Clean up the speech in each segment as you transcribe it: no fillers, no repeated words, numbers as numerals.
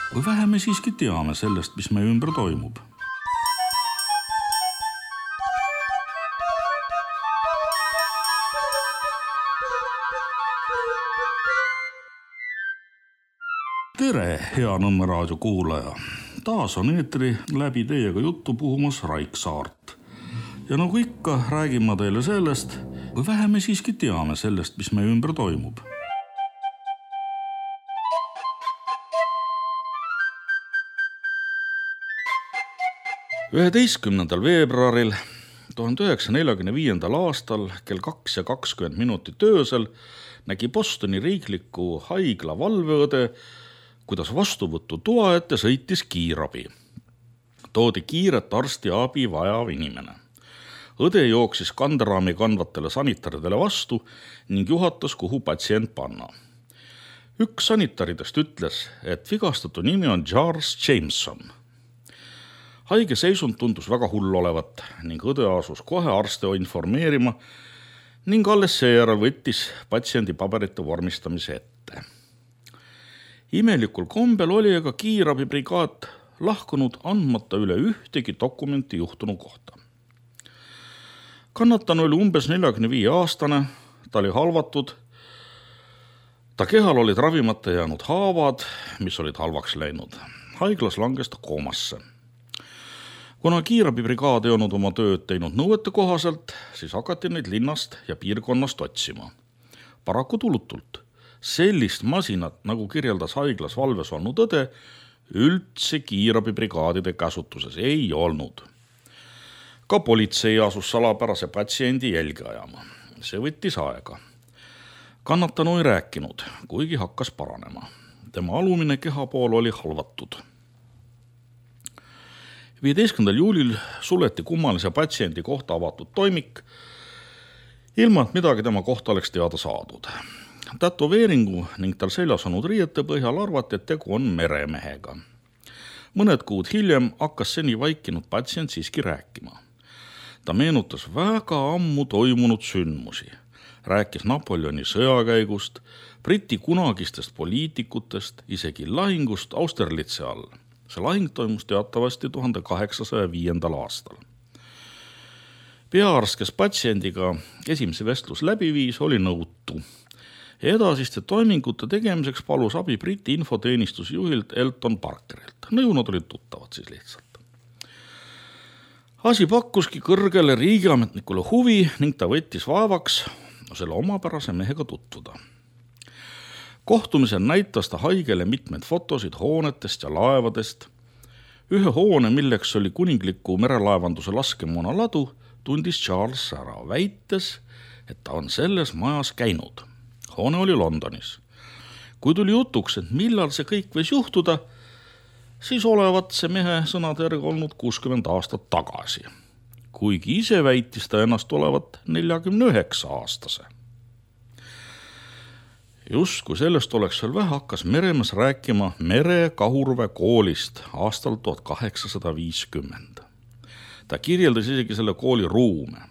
Või vähe me siiski teame sellest, mis meie ümber toimub. Tere, hea Nõmme raadio kuulaja! Taas on eetri läbi teiega juttu puhumas Raik Saart. Ja nagu ikka, räägin ma teile sellest, või vähe me siiski teame sellest, mis meie ümber toimub. veebruaril 1945. aastal kell 2:20 öösel nägi Bostoni riikliku haigla valveõde, kuidas vastuvõttu toa ette sõitis kiirabi. Toodi kiiret arstiabi vajav inimene. Õde jooksis kanderaami kandvatele sanitaridele vastu ning juhatas, kuhu patsient panna. Üks sanitaridest ütles, et vigastatu nimi on Charles Jameson. Haige seisund tundus väga hull olevat ning õde asus kohe arste informeerima ning alles seejärel võttis patsiendi paberite vormistamise ette. Imelikul kombel oli aga kiirabibrigaad lahkunud andmata üle ühtegi dokumenti juhtunu kohta. Kannatanu oli umbes 45-aastane, ta oli halvatud, ta kehal olid ravimata jäänud haavad, mis olid halvaks läinud. Haiglas langes ta koomasse. Kuna kiirabibrigaad ei olnud oma tööd teinud nõuete kohaselt, siis hakati neid linnast ja piirkonnast otsima. Paraku tulutult. Sellist masinat, nagu kirjeldas haiglas valves olnud õde, üldse kiirabibrigaadide käsutuses ei olnud. Ka politsei asus salapärase patsiendi jälge ajama. See võttis aega. Kannatanu ei rääkinud, kuigi hakkas paranema. Tema alumine kehapool oli halvatud. 15. juulil suleti kummalise patsiendi kohta avatud toimik, ilma et midagi tema kohta oleks teada saadud. Tätoveeringu ning tal seljas olnud riiete põhjal arvati, et tegu on meremehega. Mõned kuud hiljem hakkas seni vaikinud patsient siiski rääkima. Ta meenutas väga ammu toimunud sündmusi. Rääkis Napoleoni sõjakäigust, Briti kunagistest poliitikutest, isegi lahingust Austerlitze all. See lahing toimus teatavasti 1805. aastal. Peaarst, kes patsiendiga esimese vestlus läbi viis, oli nõutu. Edasiste toimingute tegemiseks palus abi Briti infoteenistusjuhilt Elton Parkerilt. Nõunad olid tuttavad siis lihtsalt. Asi pakkuski kõrgele riigiametnikule huvi ning ta võttis vaevaks selle omapärase mehega tutvuda. Kohtumisel näitas ta haigele mitmed fotosid hoonetest ja laevadest. Ühe hoone, milleks oli kuningliku merelaevanduse laskemoona ladu, tundis Charles ära, väites, et ta on selles majas käinud. Hoone oli Londonis. Kui tuli jutuks, et millal see kõik võis juhtuda, siis olevat see mehe sõnade järgi olnud 60 aastat tagasi. Kuigi ise väitis ta ennast olevat 49-aastase. Just kui sellest oleks veel vähe, hakkas Meremees rääkima Mere Kahurve koolist aastal 1850. Ta kirjeldas isegi selle kooli ruume.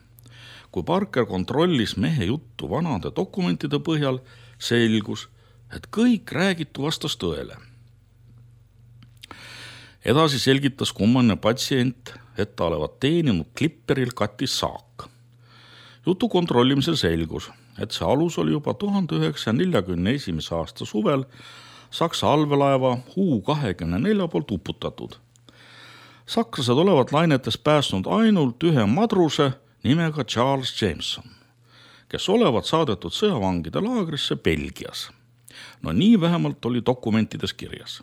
Kui Parker kontrollis mehe juttu vanade dokumentide põhjal, selgus, et kõik räägitu vastas tõele. Edasi selgitas kummaline patsient, et ta olevat teeninud Klipperil katis saak. Jutu kontrollimisel selgus, et see alus oli juba 1941. aasta suvel Saksa allveelaeva U-24 poolt uputatud. Sakslased olevat lainetes päästnud ainult ühe madruse nimega Charles Jameson, kes olevat saadetud sõjavangide laagrisse Belgias. No nii vähemalt oli dokumentides kirjas.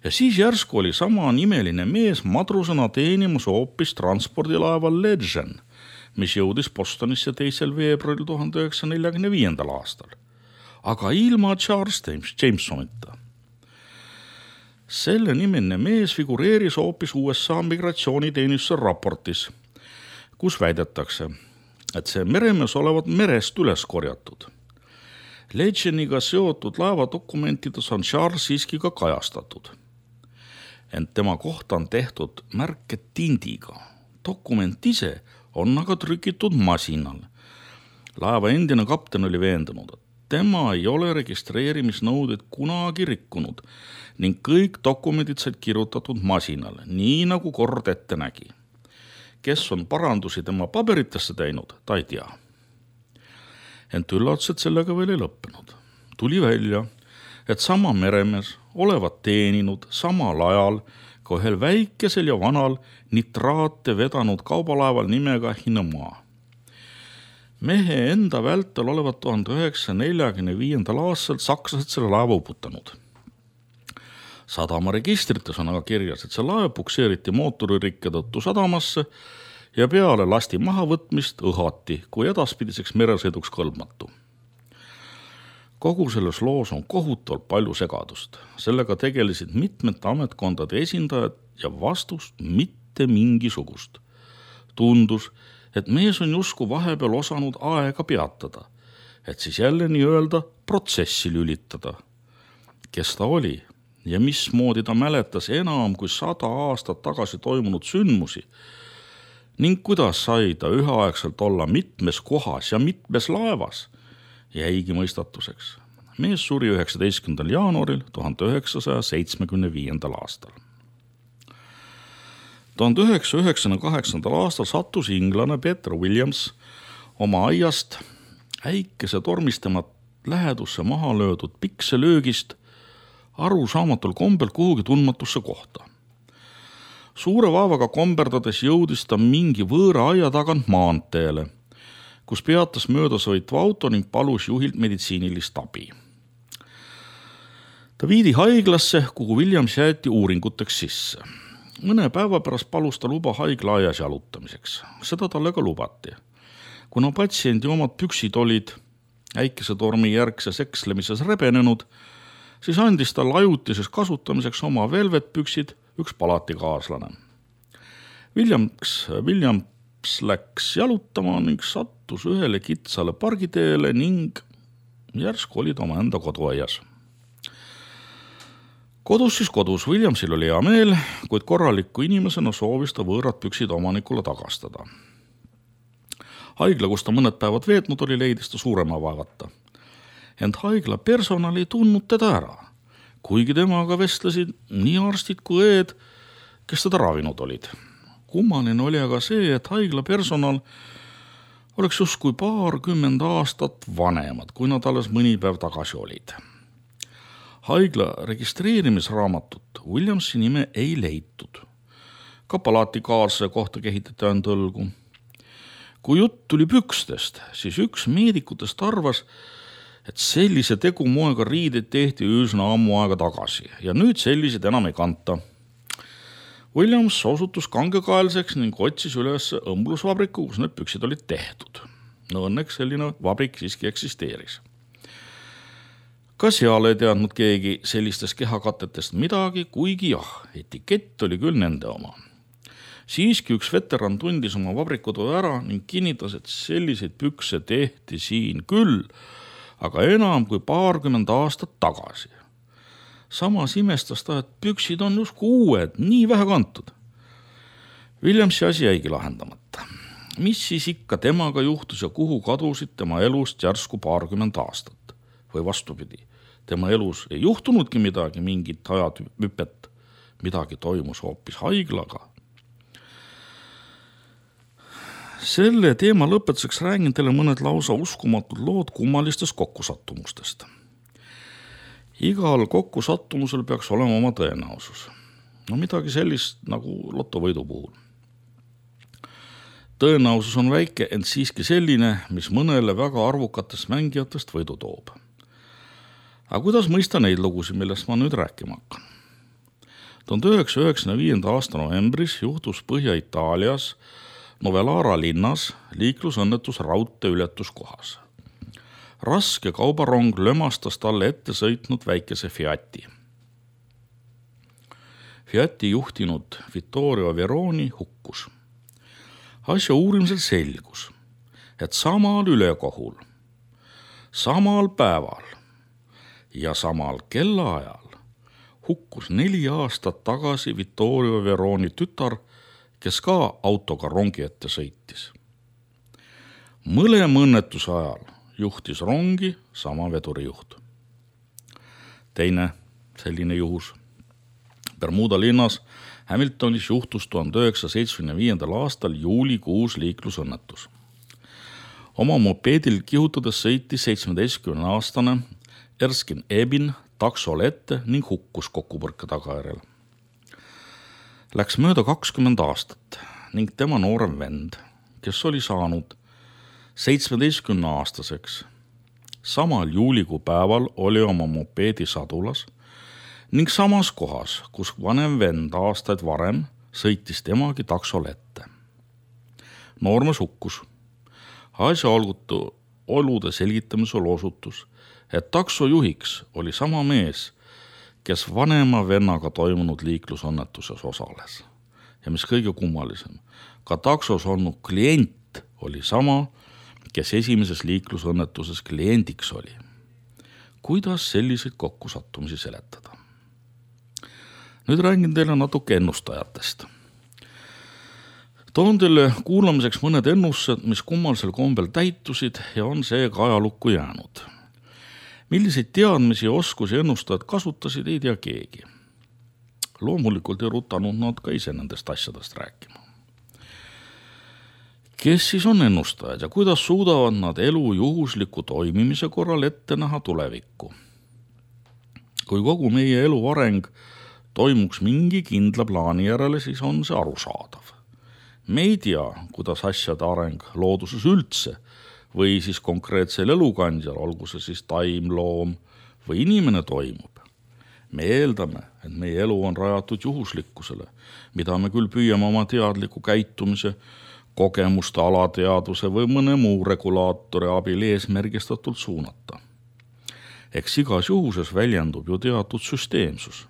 Ja siis järsku oli sama nimeline mees madrusena teenimus hoopis transpordilaeval Legend, mis jõudis Bostonisse 2. veebruaril 1945. aastal. Aga ilma Charles Jamesonita. Selle nimeline mees figureeris hoopis USA migratsiooniteenistuse raportis, kus väidetakse, et see meremees olevat merest üles korjatud. Legendiga seotud laevadokumentides on Charles siiski ka kajastatud. Ent tema kohta on tehtud märke tindiga. Dokument ise on aga trükitud masinal. Laeva endine kapten oli veendunud, et tema ei ole registreerimisnõudeid kunagi rikkunud ning kõik dokumendid said kirjutatud masinale, nii nagu kord ette nägi. Kes on parandusi tema paberitesse teinud, ta ei tea. Ent üllatused sellega veel ei lõppenud. Tuli välja, et sama meremees olevat teeninud samal ajal ka ühel väikesel ja vanal nitraate vedanud kaubalaeval nimega Hinemaa. Mehe enda vältel olevat 1945. aastal sakslased selle laeva uputanud. Sadama registrites on aga kirjas, et see laev pukseeriti mootoririkke tõttu sadamasse ja peale lasti mahavõtmist õhati, kui edaspidiseks meresõiduks kõlbmatu. Kogu selles loos on kohutavalt palju segadust. Sellega tegelesid mitmete ametkondade esindajad ja vastust mitte mingisugust. Tundus, et mees on justkui vahepeal osanud aega peatada, et siis jälle nii-öelda protsessi lülitada. Kes ta oli ja mismoodi ta mäletas enam kui 100 aastat tagasi toimunud sündmusi ning kuidas sai ta üheaegselt olla mitmes kohas ja mitmes laevas, jäigi mõistatuseks. Mees suri 19. jaanuaril 1975. aastal. 1998. aastal sattus inglane Peter Williams oma aiast äikese tormistemat lähedusse maha löödud pikselöögist arusaamatul kombel kuhugi tundmatusse kohta. Suure vaevaga komberdades jõudis ta mingi võõra aia tagant maanteele, kus peatas möödasõitva auto ning palus juhilt meditsiinilist abi. Ta viidi haiglasse, kuhu Williams jäeti uuringuteks sisse. Mõne päeva pärast palus ta luba haigla aias jalutamiseks. Seda talle ka lubati. Kuna patsiendi omad püksid olid äikesetormi järgses ekslemises rebenenud, siis andis tal ajutises kasutamiseks oma velvetpüksid üks palatikaaslane. Williams läks jalutama ning sattus ühele kitsale pargiteele ning järsku oli ta oma enda koduaias. Kodus. Williamsil oli hea meel, kuid korraliku inimesena soovis ta võõrad püksid omanikule tagastada. Haigla, kus ta mõned päevad veetnud oli, leidis ta suurema vaevata. Ent haigla personal ei tundnud teda ära, kuigi temaga vestlesid nii arstid kui õed, kes teda ravinud olid. Kummaline oli aga see, et haigla personal oleks justkui 20 aastat vanemad, kui nad alles mõni päev tagasi olid. Haigla registreerimisraamatut Williamsi nime ei leitud. Ka palatikaasse kohta kehitati ainult õlgu. Kui jutt tuli pükstest, siis üks meedikutest arvas, et sellise tegumoega riided tehti üsna ammu aega tagasi ja nüüd sellised enam ei kanta. Williams osutus kangekaelseks ning otsis üles õmblusvabriku, kus need püksid olid tehtud. No õnneks selline vabrik siiski eksisteeris. Ka seal ei teadnud keegi sellistest kehakatetest midagi, kuigi jah, etikett oli küll nende oma. Siiski üks veteran tundis oma vabrikutöö ära ning kinnitas, et selliseid pükse tehti siin küll, aga enam kui 20 aastat tagasi. Samas imestas ta, et püksid on justkui uued, nii vähe kantud. Williamsi asi jäigi lahendamata. Mis siis ikka temaga juhtus ja kuhu kadusid tema elust järsku 20 aastat? Või vastupidi, tema elus ei juhtunudki midagi, mingit ajahüpet, midagi toimus hoopis haiglaga. Selle teema lõpetuseks räägin teile mõned lausa uskumatud lood kummalistest kokkusattumustest. Igal kokkusattumusel peaks olema oma tõenäosus. No midagi sellist nagu lotovõidu puhul. Tõenäosus on väike, ent siiski selline, mis mõnele väga arvukatest mängijatest võidu toob. Aga kuidas mõista neid lugusid, millest ma nüüd rääkima hakkan? 1995. aasta novembris juhtus Põhja-Itaalias Novellara linnas liiklusõnnetus raudtee ületuskohas. Raske kaubarong lömastas talle ette sõitnud väikese Fiati. Fiati juhtinud Vittorio Veroni hukkus. Asja uurimisel selgus, et samal ülekohul, samal päeval ja samal kellaajal hukkus 4 aastat tagasi Vittorio Veroni tütar, kes ka autoga rongi ette sõitis. Mõlema õnnetuse ajal juhtis rongi sama vedurijuht. Teine selline juhus. Bermuda linnas Hamiltonis juhtus 1975. aastal juulikuus liiklusõnnetus. Oma mopeedil kihutades sõitis 17-aastane Erskine Ebin taksole ette ning hukkus kokkupõrke tagajärjel. Läks mööda 20 aastat ning tema noorem vend, kes oli saanud 17-aastaseks, samal juulikuu päeval oli oma mopeedi sadulas ning samas kohas, kus vanem vend aastaid varem sõitis temagi taksole ette. Noormees hukkus. Asjaolude olude selgitamisel osutus, et taksojuhiks oli sama mees, kes vanema vennaga toimunud liiklusõnnetuses osales. Ja mis kõige kummalisem, ka taksos olnud klient oli sama, kes esimeses liiklusõnnetuses kliendiks oli. Kuidas selliseid kokkusattumisi seletada? Nüüd räägin teile natuke ennustajatest. Toon teile kuulamiseks mõned ennustused, mis kummalisel kombel täitusid ja on seega ajalukku jäänud. Milliseid teadmisi ja oskusi ennustajad kasutasid, ei tea keegi. Loomulikult ei rutanud nad ka ise nendest asjadest rääkima. Kes siis on ennustajad ja kuidas suudavad nad elu juhusliku toimimise korral ette näha tulevikku? Kui kogu meie elu areng toimuks mingi kindla plaani järele, siis on see arusaadav. Me ei tea, kuidas asjade areng looduses üldse või siis konkreetsel elukandjal, olgu see siis taim, loom või inimene toimub. Me eeldame, et meie elu on rajatud juhuslikkusele, mida me küll püüame oma teadliku käitumise, kogemuste, alateadvuse või mõne muu regulaatori abil eesmärgistatult suunata. Eks igas juhuses väljendub ju teatud süsteemsus.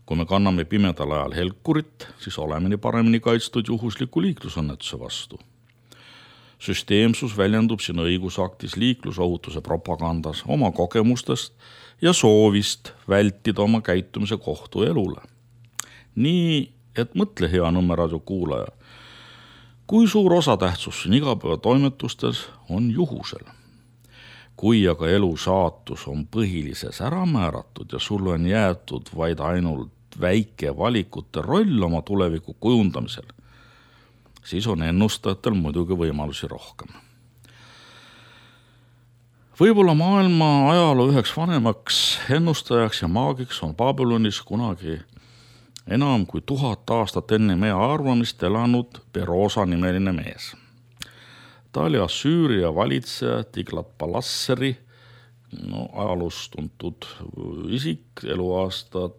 Kui me kanname pimedal ajal helkurit, siis oleme nii paremini kaitstud juhusliku liiklusõnnetuse vastu. Süsteemsus väljendub siin õigusaktis, liiklusohutuse propagandas, oma kogemustest ja soovist vältida oma käitumise kohtu elule. Nii, et mõtle hea Nõmmeradio kuulaja, kui suur osatähtsus siin igapäevatoimetustes on juhusel. Kui aga elu saatus on põhilises ära määratud ja sulle on jäetud vaid ainult väike valikute roll oma tuleviku kujundamisel, siis on ennustajatel muidugi võimalusi rohkem. Võib-olla maailma ajaloo üheks vanemaks ennustajaks ja maagiks on Babylonis kunagi enam kui 1000 aastat enne meie arvamist elanud Perosa nimeline mees. Ta oli Assüüria valitseja Tiglat-Palasseri, ajaloos tuntud isik, eluaastad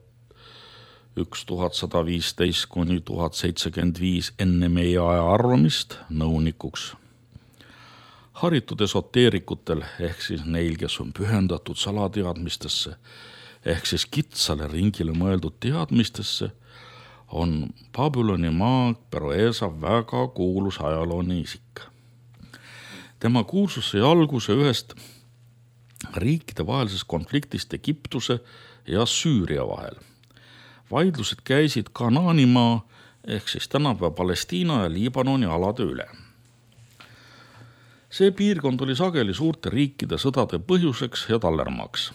1115 kuni 1075 enne meie aja arvamist nõunikuks. Haritud esoteerikutel ehk siis neil, kes on pühendatud salateadmistesse ehk siis kitsale ringile mõeldud teadmistesse, on Babyloni maag Peroesa väga kuulus ajalooni isik. Tema kuulsus sai alguse ühest riikide vahelisest konfliktist Egiptuse ja Süüria vahel. Vaidlused käisid Kanaanimaa ehk siis tänapäeva Palestiina ja Liibanoni alade üle. See piirkond oli sageli suurte riikide sõdade põhjuseks ja tallermaks.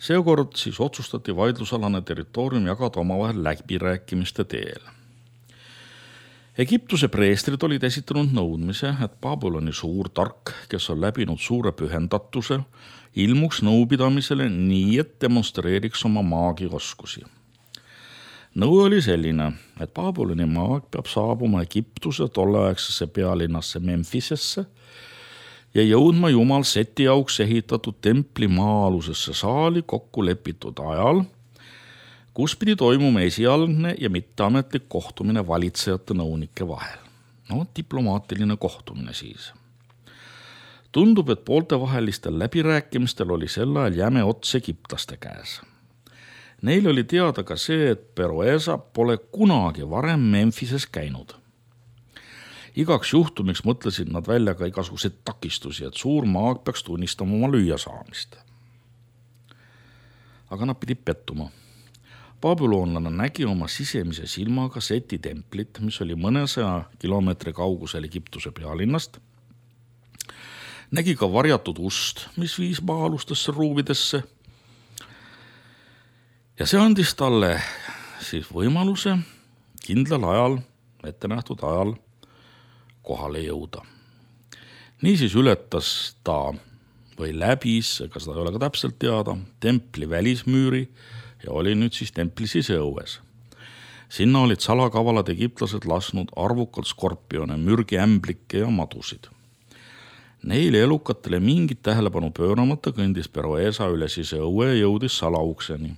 Seekord siis otsustati vaidlusalane territoorium jagada omavahel läbirääkimiste teel. Egiptuse preestrid olid esitanud nõudmise, et Babyloni suur tark, kes on läbinud suure pühendatuse, ilmuks nõupidamisele nii, et demonstreeriks oma maagioskusi. Nõu oli selline, et Babyloni maag peab saabuma Egiptuse tolleaegsesse pealinnasse Memphisesse ja jõudma Jumal Seti auks ehitatud templi maa-alusesse saali kokku lepitud ajal, kus pidi toimuma esialgne ja mitteametlik kohtumine valitsejate nõunike vahel. Diplomaatiline kohtumine siis. Tundub, et pooltevahelistel läbirääkimistel oli sel ajal jäme ots egiptlaste käes. Neil oli teada ka see, et Peroesa pole kunagi varem Memphises käinud. Igaks juhtumiks mõtlesid nad välja ka igasuguseid takistusi, et suur maag peaks tunnistama oma lüüasaamist. Aga nad pidid pettuma. Babylonlane nägi oma sisemise silmaga Seti templit, mis oli mõnesaja kilomeetri kaugusel Egiptuse pealinnast Nägi ka varjatud ust, mis viis maa-alustesse ruumidesse. Ja see andis talle siis võimaluse kindlal ajal, ettenähtud ajal kohale jõuda. Niisiis ületas ta või läbis, ega seda ei ole ka täpselt teada, templi välismüüri ja oli nüüd siis templi siseõues. Sinna olid salakavalad egiptlased lasknud arvukalt skorpione, mürgiämblikke ja madusid. Neile elukatele mingit tähelepanu pööramata kõndis Peroesa üle siseõue ja jõudis salaukseni.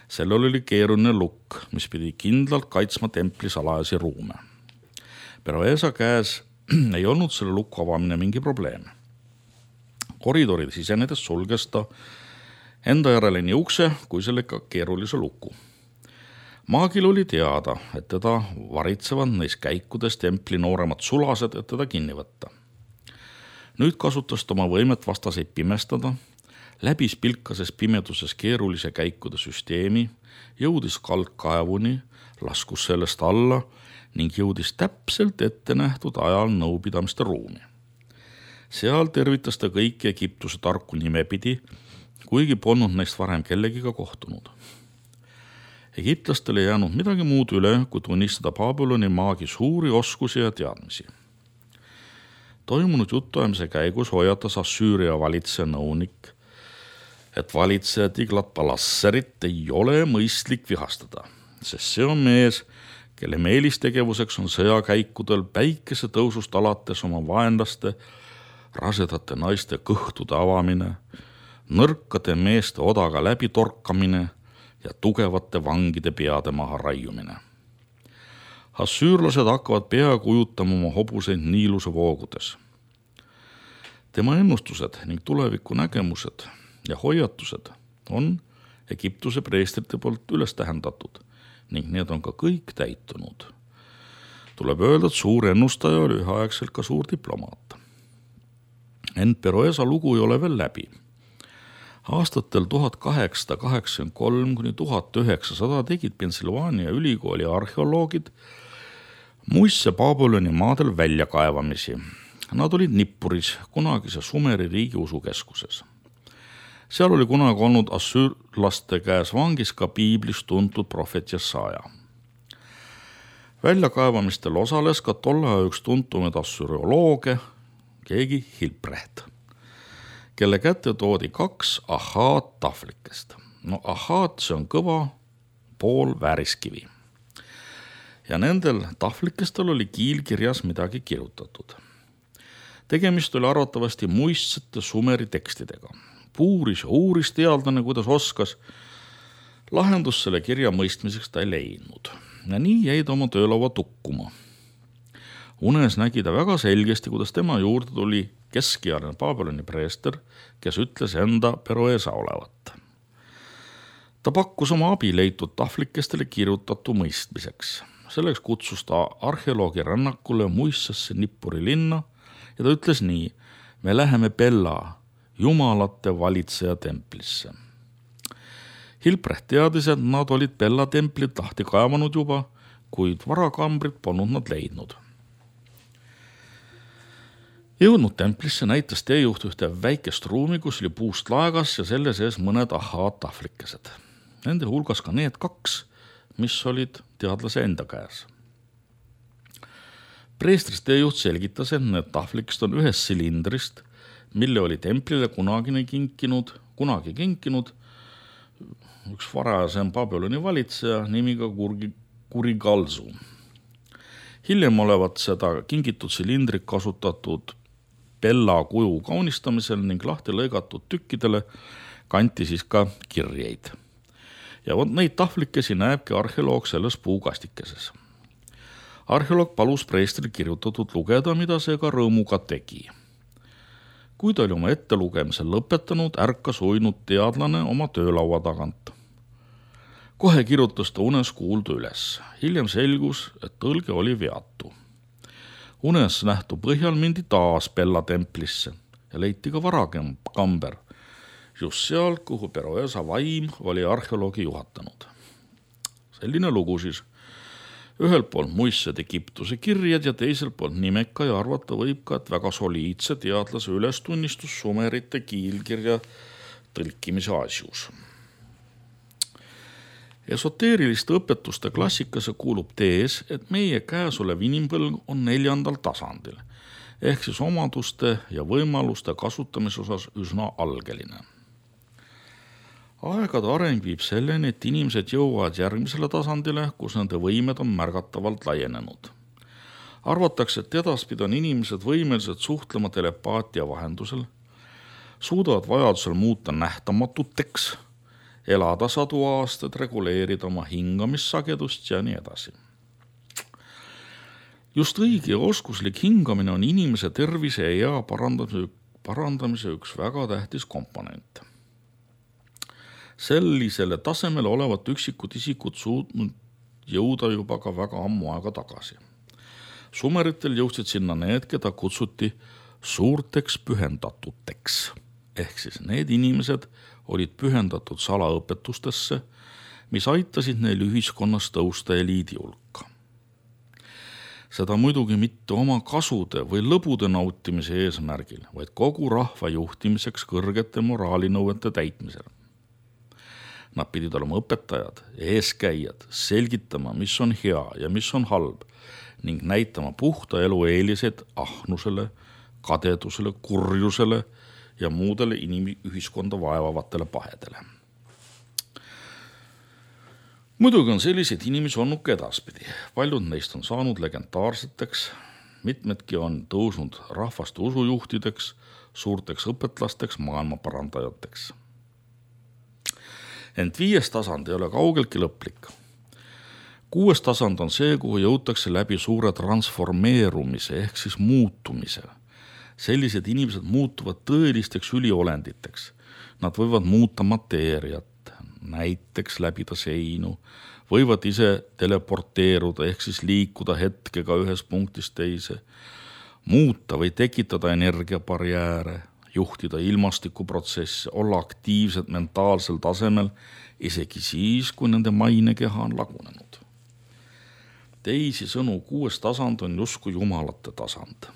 Sellel oli keeruline lukk, mis pidi kindlalt kaitsma templi salajasi ruume. Peroesa käes ei olnud selle lukku avamine mingi probleem. Koridorid sisenedes sulges ta enda järele nii ukse kui sellega keerulise luku. Maagil oli teada, et teda varitsevad neis käikudes templi nooremad sulased, et teda kinni võtta. Nüüd kasutas ta oma võimet vastaseid pimestada, läbis pilkases pimeduses keerulise käikude süsteemi, jõudis kaldkaevuni, laskus sellest alla ning jõudis täpselt ette nähtud ajal nõupidamiste ruumi. Seal tervitas ta kõiki Egiptuse tarku nimepidi, kuigi polnud neist varem kellegiga kohtunud. Egiptlastel ei jäänud midagi muud üle, kui tunnistada Babyloni maagi suuri oskusi ja teadmisi. Toimunud jutuajamise käigus hoiatas Assüüria valitseja nõunik, et valitseja Tiglat-Palasserit ei ole mõistlik vihastada, sest see on mees, kelle meelistegevuseks on sõjakäikudel päikese tõusust alates oma vaenlaste, rasedate naiste kõhtude avamine, nõrkade meeste odaga läbi torkamine ja tugevate vangide peade maha raiumine. Assüürlased hakkavad peaaegu ujutama oma hobuseid Niiluse voogudes. Tema ennustused ning tuleviku nägemused ja hoiatused on Egiptuse preestrite poolt üles tähendatud ning need on ka kõik täitunud. Tuleb öelda, et suur ennustaja oli üheaegselt ka suur diplomaat. Ent Peroesa lugu ei ole veel läbi. Aastatel 1883 kuni 1900 tegid Pennsylvania ülikooli arheoloogid muisse Babyloni maadel väljakaevamisi. Nad olid Nippuris, kunagise Sumeri riigiusu keskuses. Seal oli kunagi olnud assüürlaste käes vangis ka piiblis tuntud prohvet Jesaja. Väljakaevamistel osales ka tolle üks tuntumaid assüriolooge, keegi Hilprecht, kelle kätte toodi 2 ahaat tahvlikest. Ahaat, see on kõva pool vääriskivi. Ja nendel tahvlikestel oli kiilkirjas midagi kirjutatud. Tegemist oli arvatavasti muistsete Sumeri tekstidega. Puuris ja uuris teadlane, kuidas oskas. Lahendus selle kirja mõistmiseks ta ei leidnud. Ja nii jäi ta oma töölaua tukkuma. Unes nägi ta väga selgesti, kuidas tema juurde tuli keskealine Babyloni preester, kes ütles enda Peroesa olevat. Ta pakkus oma abi leitud tahvlikestele kirjutatu mõistmiseks. Selleks kutsus ta arheoloogi rännakule muissasse Nippuri linna ja ta ütles nii: me läheme Bella, jumalate valitseja templisse. Hilprecht teadis, et nad olid Bella templit lahti kaevanud juba, kuid varakambrit polnud nad leidnud. Jõudnud templisse näitas teejuht ühte väikest ruumi, kus oli puust laegas ja selle sees mõned ahaat tahvlikesed. Nende hulgas ka need 2, mis olid teadlase enda käes. Preestrist teejuht selgitas, et need tahvlikest on ühest silindrist, mille oli templile kunagi kinkinud üks varasem Babyloni valitseja nimiga Kurigalzu. Hiljem olevat seda kingitud silindrit kasutatud Bella kuju kaunistamisel ning lahti lõigatud tükkidele kanti siis ka kirjeid. Ja neid tahvlikesi näebki arheoloog selles puukastikeses. Arheoloog palus preestril kirjutatud lugeda, mida see ka rõõmuga tegi. Kui ta oli oma ettelugemisel lõpetanud, ärkas uinud teadlane oma töölaua tagant. Kohe kirjutas ta unes kuuldu üles. Hiljem selgus, et tõlge oli veatu. Unes nähtu põhjal mindi taas Bella templisse ja leiti ka varakamber, just seal, kuhu Peroesa vaim oli arheoloogi juhatanud. Selline lugu siis. Ühelt poolt muistsed Egiptuse kirjad ja teiselt poolt nimeka ja arvata võib ka, et väga soliidse teadlase ülestunnistus sumerite kiilkirja tõlkimise asjus. Esoteeriliste õpetuste klassikasse kuulub tees, et meie käesolev inimpõlg on 4. tasandil, ehk siis omaduste ja võimaluste kasutamise osas üsna algeline. Aegade areng viib selleni, et inimesed jõuavad järgmisele tasandile, kus nende võimed on märgatavalt laienenud. Arvatakse, et edaspidi on inimesed võimelised suhtlema telepaatia vahendusel, suudavad vajadusel muuta nähtamatuteks, elada 100 aastat, reguleerida oma hingamissagedust ja nii edasi. Just õige ja oskuslik hingamine on inimese tervise ja ea parandamise üks väga tähtis komponent. Sellisele tasemele olevat üksikud isikud suutnud jõuda juba ka väga ammu aega tagasi. Sumeritel jõudsid sinna need, keda kutsuti suurteks pühendatuteks, ehk siis need inimesed olid pühendatud salaõpetustesse, mis aitasid neil ühiskonnas tõusta eliidi hulka. Seda muidugi mitte oma kasude või lõbude nautimise eesmärgil, vaid kogu rahva juhtimiseks kõrgete moraalinõuete täitmisel. Nad pidid olema õpetajad, eeskäijad, selgitama, mis on hea ja mis on halb ning näitama puhta elu eeliseid ahnusele, kadedusele, kurjusele ja muudele inimühiskonda vaevavatele pahedele. Muidugi on selliseid inimesi olnud ka edaspidi. Paljud neist on saanud legendaarseteks, mitmedki on tõusnud rahvaste usujuhtideks, suurteks õpetlasteks, maailmaparandajateks. Ent 5. tasand ei ole kaugeltki lõplik. 6. tasand on see, kuhu jõutakse läbi suure transformeerumise ehk siis muutumise. Sellised inimesed muutuvad tõelisteks üliolenditeks. Nad võivad muuta mateeriat, näiteks läbida seinu, võivad ise teleporteeruda ehk siis liikuda hetkega ühest punktist teise, muuta või tekitada energiabarjääre, juhtida ilmastikuprotsesse, olla aktiivsed mentaalsel tasemel, isegi siis, kui nende mainekeha on lagunenud. Teisi sõnu 6. tasand on justkui jumalate tasand.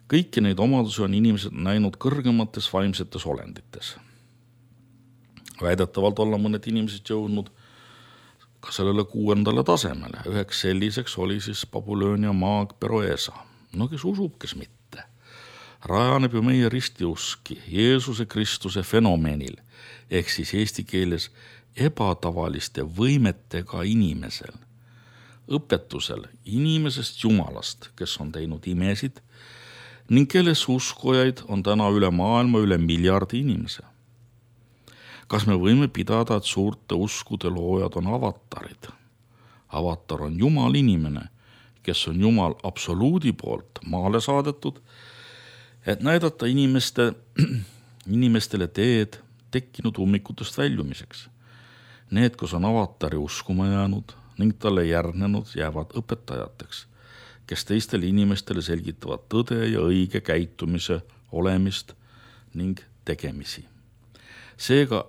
Kõiki neid omadusi on inimesed näinud kõrgemates vaimsetes olendites. Väidetavalt olla mõned inimesed jõudnud ka sellele 6. tasemele. Üheks selliseks oli siis Babyloonia maag Peroesa. No kes usub, kes mitte. Rajaneb ju meie ristiuski Jeesuse Kristuse fenomenil, ehk siis eesti keeles ebatavaliste võimetega inimesel, õpetusel inimesest Jumalast, kes on teinud imesid ning kelles uskujaid on täna üle maailma üle 1 miljardi inimese. Kas me võime pidada, et suurte uskude loojad on avatarid? Avatar on Jumal inimene, kes on Jumal absoluudi poolt maale saadetud, et näidata inimestele teed tekkinud ummikutest väljumiseks. Need, kus on avatari uskuma jäänud ning talle järgnenud, jäävad õpetajateks, kes teistele inimestele selgitavad tõde ja õige käitumise olemist ning tegemisi. Seega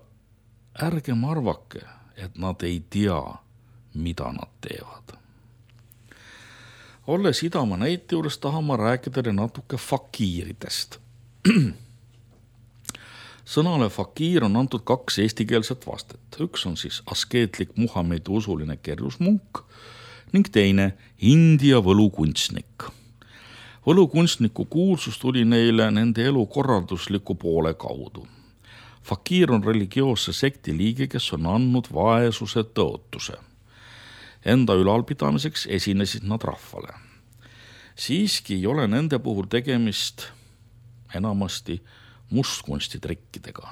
ärgem arvake, et nad ei tea, mida nad teevad. Olles Idamaa näite juures tahan ma rääkida natuke fakiiridest. Sõnale fakiir on antud 2 eestikeelset vastet. Üks on siis askeetlik Muhamedi usuline kerjusmunk ning teine India võlukunstnik. Võlukunstniku kuulsus tuli neile nende elu korraldusliku poole kaudu. Fakiir on religioosse sekti liige, kes on andnud vaesuse tõotuse. Enda ülalpidamiseks esinesid nad rahvale. Siiski ei ole nende puhul tegemist enamasti mustkunstitrikkidega.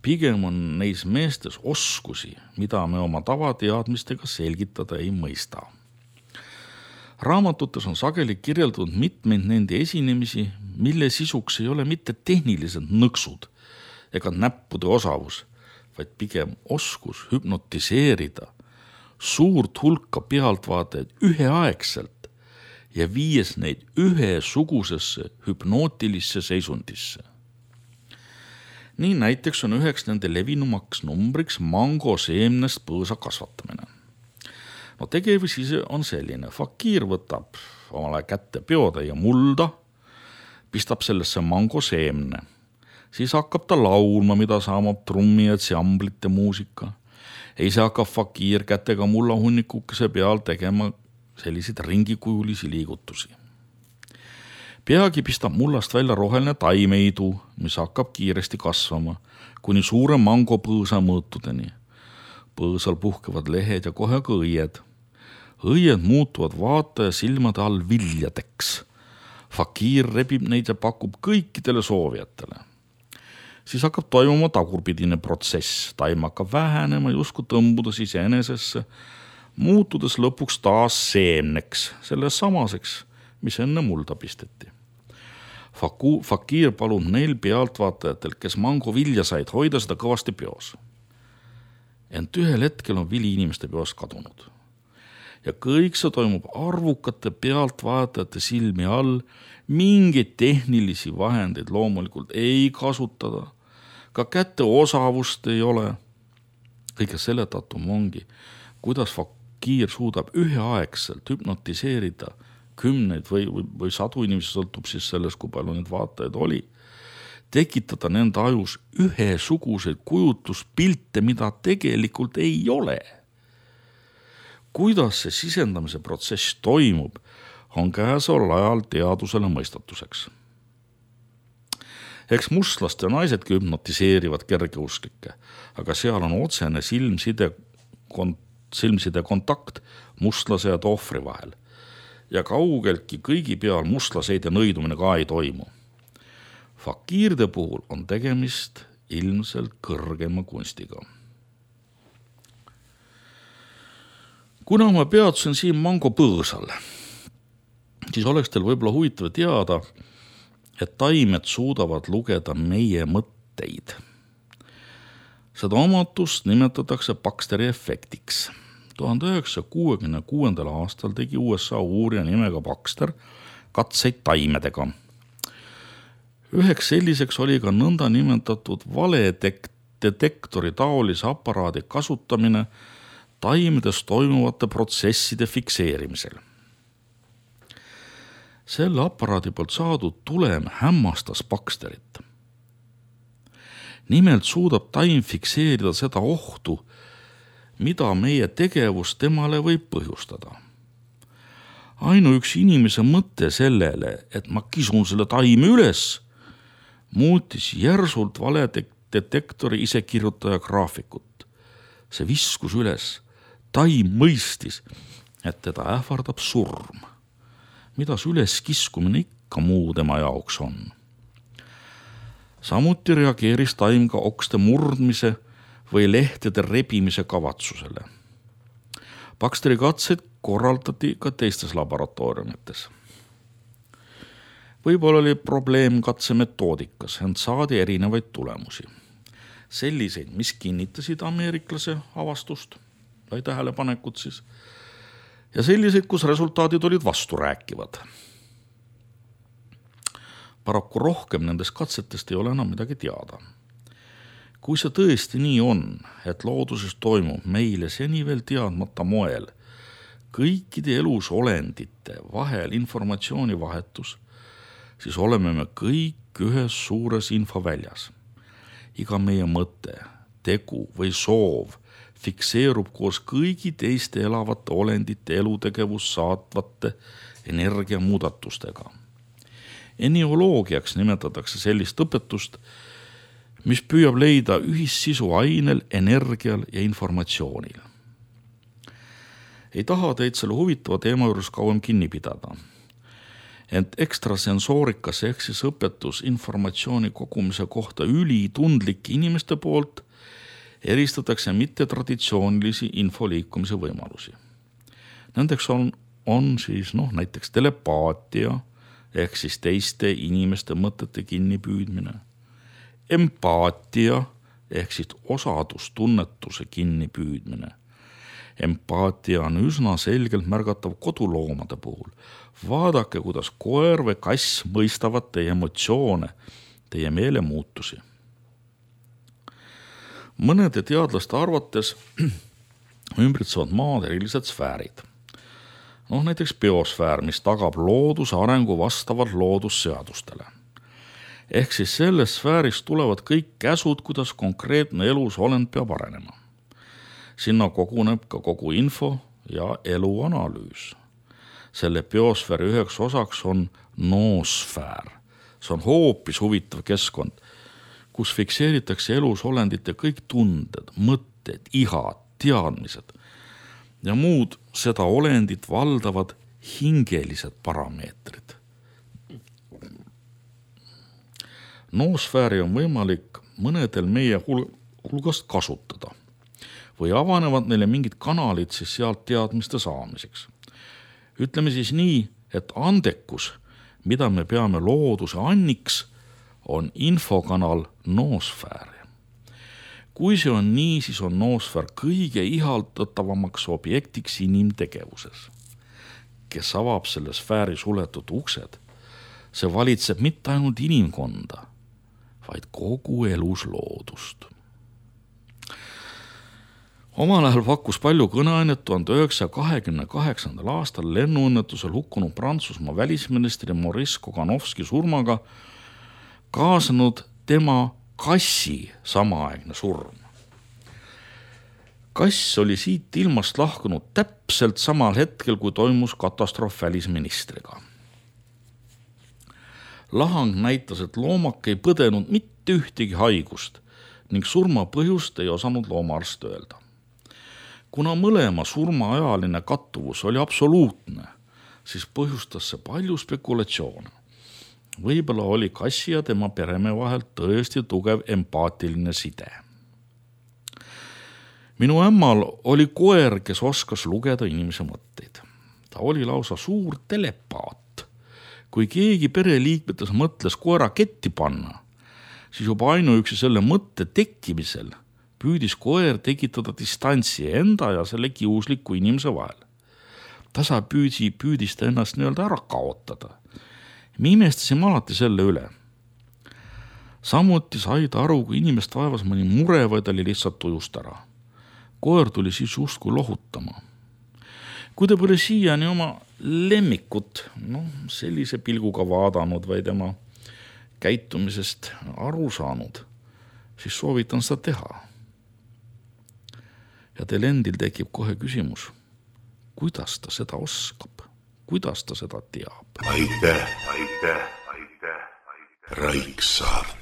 Pigem on neis meestes oskusi, mida me oma tavateadmistega selgitada ei mõista. Raamatutes on sageli kirjeldatud mitmeid nende esinemisi, mille sisuks ei ole mitte tehnilised nõksud ega näppude osavus, vaid pigem oskus hüpnotiseerida suurt hulka pealtvaatajaid üheaegselt ja viies neid ühesugusesse hüpnootilisse seisundisse. Nii näiteks on üheks nende levinumaks numbriks mango seemnest põõsa kasvatamine. No tegevus ise on selline. Fakiir võtab omale kätte peotäie mulda, pistab sellesse mangoseemne. Siis hakkab ta laulma, mida saamab trummi ja tsamblite muusika. Ja ise hakkab fakiir kätega mullahunnikukese peal tegema selliseid ringikujulisi liigutusi. Peagi pistab mullast välja roheline taimeidu, mis hakkab kiiresti kasvama, kuni suure mangopõõsa mõõtudeni. Põõsal puhkevad lehed ja kohe ka õied. Õied muutuvad vaataja silmade all viljadeks. Fakiir rebib neid ja pakub kõikidele soovijatele. Siis hakkab toimuma tagurpidine protsess. Taim hakkab vähenema, justkui tõmbudes iseenesesse, muutudes lõpuks taas seemneks, selle samaseks, mis enne mulda pisteti. Fakiir palub neil pealtvaatajatel, kes mango vilja said, hoida seda kõvasti peos. Ent ühel hetkel on vili inimeste peos kadunud. Ja kõik see toimub arvukate pealtvaatajate silmi all, mingeid tehnilisi vahendeid loomulikult ei kasutada, ka kätte osavust ei ole. Kõige selle tatum ongi, kuidas fakiir suudab üheaegselt hüpnotiseerida kümneid või sadu inimesi, sõltub siis sellest, kui palju neid vaatajaid oli, tekitada nende ajus ühesuguseid kujutluspilte, mida tegelikult ei ole. Kuidas see sisendamise protsess toimub, on käesoleval ajal teadusele mõistatuseks. Eks mustlaste naisedki hüpnotiseerivad kergeusklikke, aga seal on otsene silmside kontakt mustlase ja tohvri vahel. Ja kaugeltki kõigi peal mustlaseid ja nõidumine ka ei toimu. Fakiirde puhul on tegemist ilmselt kõrgema kunstiga. Kuna ma peatusin siin mangopõõsal, siis oleks teil võib-olla huvitav teada, et taimed suudavad lugeda meie mõtteid. Seda omatust nimetatakse Baxteri efektiks. 1966. aastal tegi USA uurija nimega Baxter katseid taimedega. Üheks selliseks oli ka nõnda nimetatud valedetektori taolise aparaadi kasutamine taimedes toimuvate protsesside fikseerimisel. Selle aparaadi poolt saadud tulem hämmastas Baxterit. Nimelt suudab taim fikseerida seda ohtu, mida meie tegevus temale võib põhjustada. Ainuüksi inimese mõte sellele, et ma kisun selle taime üles, muutis järsult valedetektori isekirjutaja graafikut. See viskus üles. Taim mõistis, et teda ähvardab surm. Midas üles kiskumine ikka muu tema jaoks on. Samuti reageeris taim ka okste murdmise või lehtede rebimise kavatsusele. Baxteri katseid korraldati ka teistes laboratooriumites. Võib-olla oli probleem katsemetoodikas, ent saadi erinevaid tulemusi. Selliseid, mis kinnitasid ameeriklase avastust või tähelepanekut siis, ja selliseid, kus resultaadid olid vasturääkivad. Paraku rohkem nendest katsetest ei ole enam midagi teada. Kui see tõesti nii on, et looduses toimub meile seni veel teadmata moel kõikide elus olendite vahel informatsiooni vahetus, siis oleme me kõik ühes suures infoväljas. Iga meie mõte, tegu või soov fikseerub koos kõigi teiste elavate olendite elutegevust saatvate energiamuudatustega. Enioloogiaks nimetatakse sellist õpetust, mis püüab leida ühissisu ainel, energial ja informatsioonil. Ei taha teid selle huvitava teema juures kauem kinni pidada. Ent ekstrasensoorikas ehk siis õpetus informatsiooni kogumise kohta ülitundlike inimeste poolt eristatakse mittetraditsioonilisi infoliikumise võimalusi. Nendeks on siis näiteks telepaatia ehk siis teiste inimeste mõtete kinnipüüdmine, empaatia ehk siis osadustunnetuse kinnipüüdmine. Empaatia on üsna selgelt märgatav koduloomade puhul. Vaadake, kuidas koer või kass mõistavad teie emotsioone, teie meelemuutusi. Mõnede teadlaste arvates ümbritsevad maad erilised sfäärid. Näiteks biosfäär, mis tagab looduse arengu vastavalt loodusseadustele. Ehk siis selles sfääris tulevad kõik käsud, kuidas konkreetne elusolend peab arenema. Sinna koguneb ka kogu info ja eluanalüüs. Selle biosfääri üheks osaks on noosfäär. See on hoopis huvitav keskkond, kus fikseeritakse elusolendite kõik tunded, mõtted, ihad, teadmised ja muud seda olendit valdavad hingelised parameetrid. Noosfääri on võimalik mõnedel meie hulgast kasutada või avanevad neile mingid kanalid siis sealt teadmiste saamiseks. Ütleme siis nii, et andekus, mida me peame looduse anniks, on infokanal noosfääri. Kui see on nii, siis on noosfäär kõige ihaldatavamaks objektiks inimtegevuses. Kes avab selle sfääri suletud uksed, see valitseb mitte ainult inimkonda, vaid kogu elusloodust. Omal ajal pakkus palju kõneainet 1928. aastal lennuõnnetusel hukkunud Prantsusmaa välisministri Maurice Koganovski surmaga kaasanud tema kassi samaaegne surm. Kass oli siit ilmast lahkunud täpselt samal hetkel, kui toimus katastroof välisministriga. Lahang näitas, et loomak ei põdenud mitte ühtegi haigust ning surma põhjust ei osanud loomaarst öelda. Kuna mõlema surmaajaline kattuvus oli absoluutne, siis põhjustas see palju spekulatsioone. Võib-olla oli kassi ja tema peremehe vahel tõesti tugev empaatiline side. Minu ämmal oli koer, kes oskas lugeda inimese mõtteid. Ta oli lausa suur telepaat. Kui keegi pereliikmetes mõtles koera ketti panna, siis juba ainuüksi selle mõtte tekkimisel püüdis koer tekitada distantsi enda ja selle kiusliku inimese vahel. Tasa püüdis ta ennast nii-öelda ära kaotada. Me imestasime alati selle üle. Samuti sai ta aru, kui inimest vaevas mõni mure või ta oli lihtsalt tujust ära. Koer tuli siis justkui lohutama. Kui te pole siiani oma lemmikut sellise pilguga vaadanud või tema käitumisest aru saanud, siis soovitan seda teha. Ja teil endil tekib kohe küsimus, kuidas ta seda oskab, kuidas ta seda teab. Aitäh, Raiksaart.